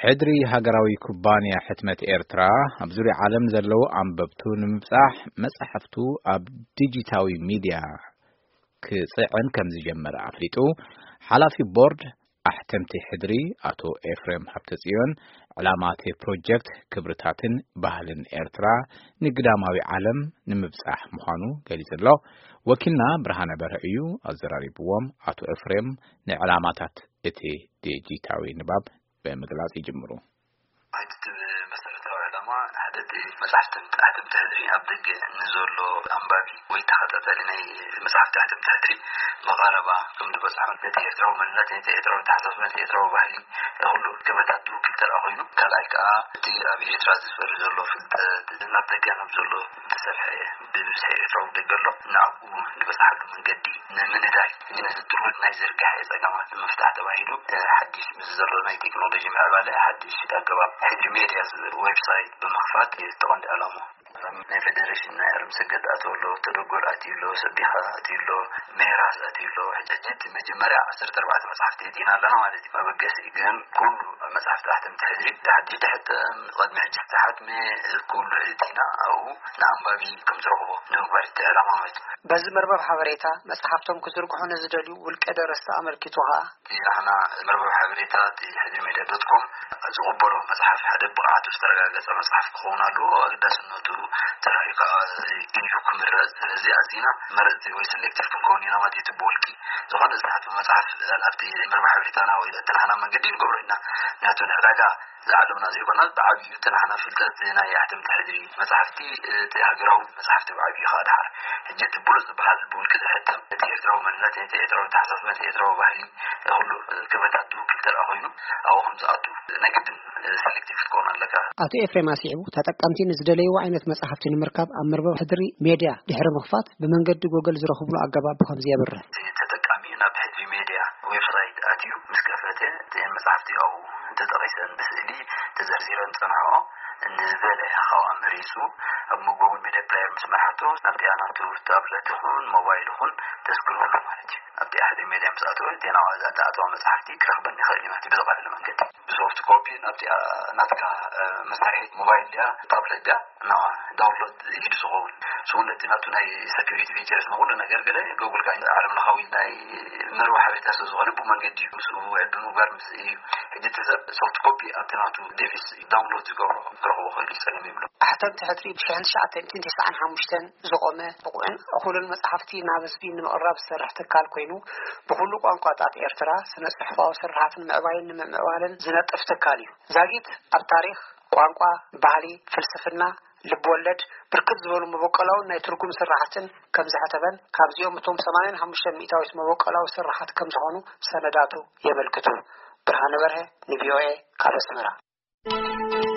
ሕድሪ ሃገራዊ ኩባንያ ሕትመት ኤርትራ ኣብ ዙርያ ዓለም ዘለዉ ኣንበብቱ ንምብጻሕ መጻሕፍቱ ኣብ ዲጂታዊ ሚድያ ክጽዕን ከም ዝጀመረ ኣፍሊጡ። ሓላፊ ቦርድ ኣሕተምቲ ሕድሪ ኣቶ ኤፍሬም ሃብተጽዮን፣ ዕላማ እቲ ፕሮጀክት ክብርታትን ባህልን ኤርትራ ንግዳማዊ ዓለም ንምብጻሕ ምዃኑ ገሊጹ ኣሎ። ወኪልና ብርሃነ በርሀ እዩ ኣዘራሪብዎም። ኣቶ ኤፍሬም ንዕላማታት እቲ ዲጂታዊ ንባብ ብምግላጽ ይጅምሩ። እቲ መሰረታዊ ዕላማ ሓደ እቲ መጽሓፍትን ኣሕተምቲ ሕድሪ ኣብ ደገ ንዘሎ ኣንባቢ ወይ ተኸታታሊ ናይ መጽሓፍቲ ኣሕተምቲ ሕድሪ ብቐረባ ከም ዝበጽሖ፣ ነቲ ኤርትራዊ መንነት፣ ነቲ ኤርትራዊ ተሓሳስባ፣ ነቲ ኤርትራዊ ባህሊ፣ ኩሉ ክበታት ዝውክል ተረኣ ኮይኑ፣ ካልኣይ ከኣ እቲ ኣብ ኤርትራ ዝፈሪ ዘሎ ፍልጠት ናብ ደገ ናብ ዘሎ ዝተሰፍሐ ብብዝሒ ኤርትራዊ ደገ ኣሎ፣ ንዕኡ ዝበጽሓሉ መንገዲ ንምንዳይ፣ ነዚ ጥርሑን ናይ ዝርግሐ ጸገማት ንምፍታሕ ተባሂሉ፣ ሓድሽ ምስ ዘሎ ናይ ቴክኖሎጂ ምዕባለ ሓድሽ ኣገባብ ሕድሪ ሜድያ ዝብል ዌብሳይት ብምኽፋት እዩ እቲ ቀንዲ ዕላማ። ናይ ፌደሬሽን ናይ ኣለም ሰገድ ኣትዩ ኣሎ፣ ተደጎል ኣትዩ ኣሎ፣ ሰቢኻ ኣትዩ ኣሎ፣ ሜራስ ኣትዩ ኣሎ። ሕጂ፣ ሕጂ እቲ መጀመርያ ዓሰርተ ኣርባዕተ መጽሓፍቲ እቲና ኣለና ማለት እዩ። መበገሲ ግን ኩሉ መጽሓፍቲ ኣሕተምቲ ሕድሪ፣ ድሕሪ ድሕሪ ቅድሚ ሕጂ ዝተሓትመ ኩሉ እቲና ኣብኡ ንኣንባቢ ከም ዝረኽቦ ንምግባር እቲ ዕላማ ማለት እዩ። በዚ መርበብ ሓበሬታ መጽሓፍቶም ክዝርግሑ ንዝደልዩ ውልቀ ደረስቲ ኣመልኪቱ ኸኣ፣ እቲ ንሕና መርበብ ሓበሬታ እቲ ሕድሪ ሜድያ ዶት ኮም ዝቕበሎ መጽሓፍ ሓደ ብቕዓቱ ዝተረጋገጸ መጽሓፍ ክኸውን ኣለዎ። ኣገዳስነቱ ተራእዩ ከኣ እዩ ክምረጽ። ስለዚ ኣዚና መረጽቲ ወይ ሰሌክቲቭ ክንከውን ኢና ማለት እዩ። እቲ ብውልቂ ዝኾነ ዝተሓትመ መጽሓፍ ኣብቲ መርበብ ሓበሬታና ወይ እቲ ናህና መንገዲ ንገብሮ ኢና። ምክንያቱ ንዕዳጋ ዝዓለምና ዘይኮና፣ ብዓብዩ እቲ ናህና ፍልጠት ናይ ኣሕተምቲ ሕድሪ መጽሓፍቲ፣ እቲ ሃገራዊ መጽሓፍቲ ብዓብዩ ከኣ ድሓር። ሕጂ እቲ ብሉጽ ዝበሃል ብውልቂ ዝሕተም፣ እቲ ኤርትራዊ መንነት፣ እቲ ኤርትራዊ ተሓሳስባ፣ እቲ ኤርትራዊ ባህሊ፣ ኩሉ ክበታት ዝውክል ተረኣ ኮይኑ፣ ኣብኡ ከም ዝኣቱ ናይ ግድን ሰሌክቲቭ ክትከውን ኣለካ። ኣቶ ኤፍሬም ኣስዒቡ፣ ተጠቀምቲ ንዝደለይዎ ዓይነት መጽሓፍቲ ንምርካብ ኣብ መርበብ ሕድሪ ሜድያ ድሕሪ ምኽፋት ብመንገዲ ጎገል ዝረኽብሉ ኣገባብ ብኸምዚ የብርህ። እቲ ተጠቃሚ ናብ ሕድሪ ሜድያ ዌብሳይት ኣትዩ ምስ ከፈተ፣ እተን መጽሓፍቲ ኣብኡ ተጠቒሰን ብስእሊ ተዘርዚረን ጸንሖ። ንዝደለየ ካብኣ መሪጹ ኣብ መጎጎል ሜድያ ፕሌየር ምስ መርሓቶ፣ ናብቲኣ ናቱ ታብለት ይኹን ሞባይል ይኹን ተስክሮሉ ማለት እዩ። ኣብቲ ሓደ ሜድያ ምስ ኣተወ፣ እቲ ናብኣ ዝኣተዋ መጽሓፍቲ ክረኽበን ይኽእል እዩ ማለት እዩ፣ ብዝቐለለ መንገዲ። ብሶፍት ኮፒ ናብቲኣ ናትካ፣ እ፣ መሳርሒት ሞባይል ድያ፣ ታብለት ድያ፣ ናብኣ ዳውንሎድ ኢሉ ዝኸውን። እሱ እውን ነቲ ናቱ ናይ ሰኪሪቲ ፊቸርስ ንኹሉ ነገር ገለ ጎግል ከኣ ዓለም ለኻዊ ናይ መርበብ ሓበሬታ ስለ ዝኾነ ብኡ መንገዲ እዩ ምስኡ ውዕል ብምግባር ምስ እዩ። ሕጂ እቲ ሰብ ሶፍት ኮፒ ኣብቲ ናቱ ዴቪስ ዳውንሎድ ዝገብሮ ክረኽቦ ክእል እዩ፣ ጸገም የብሎ። ኣሕተምቲ ሕድሪ ብሽሕን ትሽዓተ ሚእትን ተስዓን ሓሙሽተን ዝቖመ ብቑዕን እኹልን መጽሓፍቲ ናብ ህዝቢ ንምቕራብ ዝሰርሕ ትካል ኮይኑ፣ ብኹሉ ቋንቋታት ኤርትራ ስነ ጽሑፋዊ ስርሓት ንምዕባይን ንምምዕባልን ዝነጥፍ ትካል እዩ። ዛጊት ኣብ ታሪኽ፣ ቋንቋ፣ ባህሊ፣ ፍልስፍና፣ ልብ ወለድ ብርክት ዝበሉ መበቆላውን ናይ ትርጉም ስራሓትን ከም ዘሕተመን፣ ካብዚኦም እቶም ሰማንያን ሓሙሽተ ሚእታዊት መበቆላዊ ስራሓት ከም ዝኾኑ ሰነዳቱ የመልክቱ። ብርሃነ በርሀ ንቪኦኤ ካብ ኣስመራ።